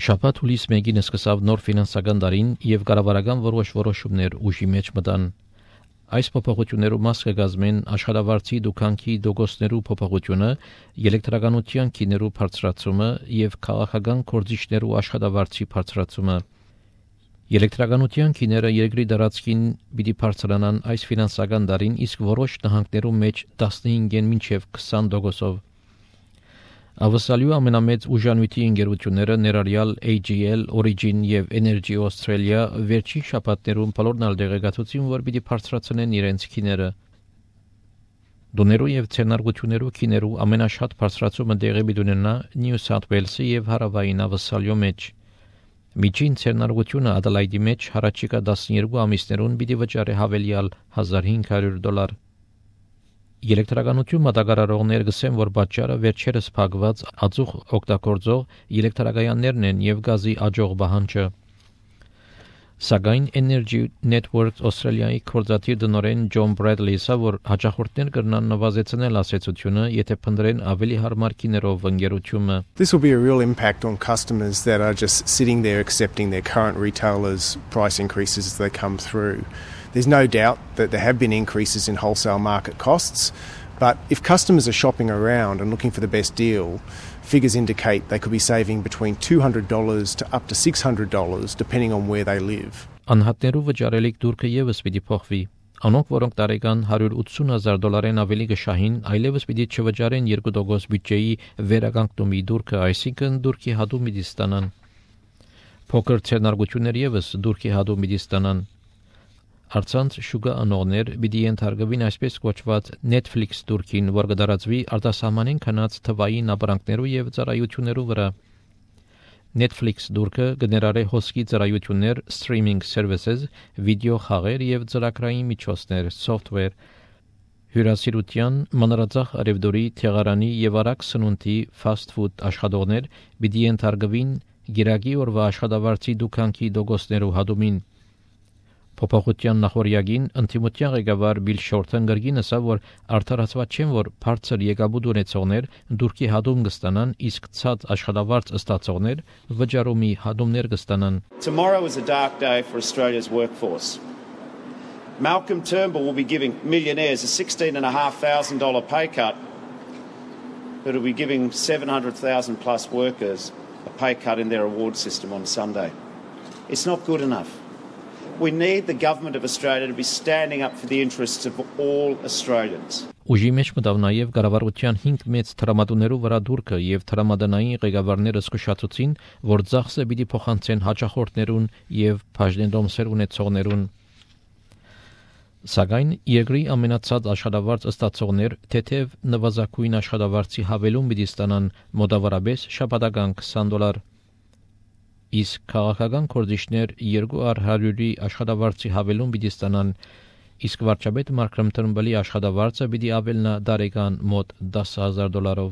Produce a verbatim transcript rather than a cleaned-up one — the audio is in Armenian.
Շաբաթ հուլիս մեկին սկսավ նոր ֆինանսական տարին եւ կառավարական որոշ որոշումներ ուժի մեջ մտան։ Այս փոփոխություններու մաս կգազմեն աշխատավարձի դուքանքի դոգոսներու փոփոխությունը, էլեկտրականության քիներու բարձրացումը եւ քաղաքական կորձիչներու աշխատավարձի բարձրացումը։ Էլեկտրականության քիները երկրի դարածքին պիտի բարձրանան այս ֆինանսական տարին, իսկ որոշ նահանգներու մեջ տասնհինգեն մինչեւ քսան տոկոսով։ Ավսալյու ամենամեծ ուժանույթի ընկերությունները ներառյալ A G L, Origin եւ Energy Australia վերջին շաբաթներում բոլորն ալ դեղեկացուցին, որ պիտի բարձրացնեն իրենց քիները։ Դոներու եւ ցենարգություններու քիներու ամենաշատ բարձրացումը տեղի պիտի ունենա Նյու Սաութ Ուելսի եւ հարավային Ավսալյու մեջ։ Միջին ցենարգությունը Ադելայդի մեջ հարաճիկա տասներկու ամիսներուն պիտի վճարի հավելյալ հազար հինգ հարյուր դոլար։ Էլեկտրականություն մատակարարողներ գսեն, որ պատճառը վերջերս փակված ածուխ օգտագործող էլեկտրակայաններն են եւ գազի աջող բահանջը։ Սակայն Energy Networks Australia-ի կորզաթիր դնորեն Ջոն Բրեդլիսը, որ հաջախորդներ կրնան նվազեցնել ասացությունը, եթե փնտրեն ավելի հարմար քիներով ընկերությունը։ This will be a real impact on customers that are just sitting there accepting their current retailers' price increases as they come through. There's no doubt that there have been increases in wholesale market costs, but if customers are shopping around and looking for the best deal, figures indicate they could be saving between two hundred dollars to up to six hundred dollars depending on where they live. Անհատներու վճարելիք դուրքը եւս պիտի փոխվի։ Անոնք, որոնք տարեկան հարյուր ութսուն հազար դոլարեն ավելի կշահին, այլևս պիտի չվճարեն երկու տոկոս բյուջեի վերականգնումի դուրքը, այսինքն դուրքի հատում պիտի ստանան։ Փոքր ցերնարգություններ եւս դուրքի հատում պիտի ստանան։ Արցանց շուկա անողներ պիտի ենթարկվին այսպես կոչված Netflix դուրքին, որ կդարածվի արտասահմանին քնած թվային ապրանքներու եւ ծառայություններու վրա։ Netflix դուրքը կներառե հոսքի ծառայություններ, streaming services, վիդեո խաղեր եւ ծրագրային միջոցներ, software, հյուրասիրության, մանրածախ արևդորի, թեղարանի եւ արագ սնունդի fast food աշխատողներ պիտի ենթարկվին գիրակի օրվա աշխատավարձի դուքանքի դոգոսներու հատումին։ Փոփոխության նախորյակին ընդդիմության ղեկավար Բիլ Շորթեն գրգին ասավ, որ արդարացված չեն, որ բարձր եկաբուտ ունեցողներ դուրքի հատում կստանան, իսկ ցած աշխատավարձ ստացողներ վճարումի հատումներ կստանան։ Tomorrow is a dark day for Australia's workforce. Malcolm Turnbull will be giving millionaires a sixteen and a half thousand dollar pay cut, but will be giving seven hundred thousand plus workers a pay cut in their award system on Sunday. It's not good enough. We need the government of Australia to be standing up for the interests of all Australians. Ուժի մեջ մտավ նաև կառավարության հինգ մեծ տրամադուներու վրա դուրքը եւ տրամադանային ղեկավարները զսկուշացուցին, որ ծախսը պիտի փոխանցեն հաջախորդներուն եւ բաժնետոմսեր ունեցողներուն։ Սակայն երկրի ամենացած աշխատավարձ ստացողներ թեթև նվազագույն աշխատավարձի հավելում պիտի ստանան մոտավորապես շաբաթական քսան դոլար։ Իսկ քաղաքական կորձիչներ երկու հարյուրի աշխատավարձի հավելում պիտի ստանան, իսկ վարչապետ Մարկ Թըրնբալի աշխատավարձը պիտի ավելնա տարեկան մոտ դաս հազար դոլարով։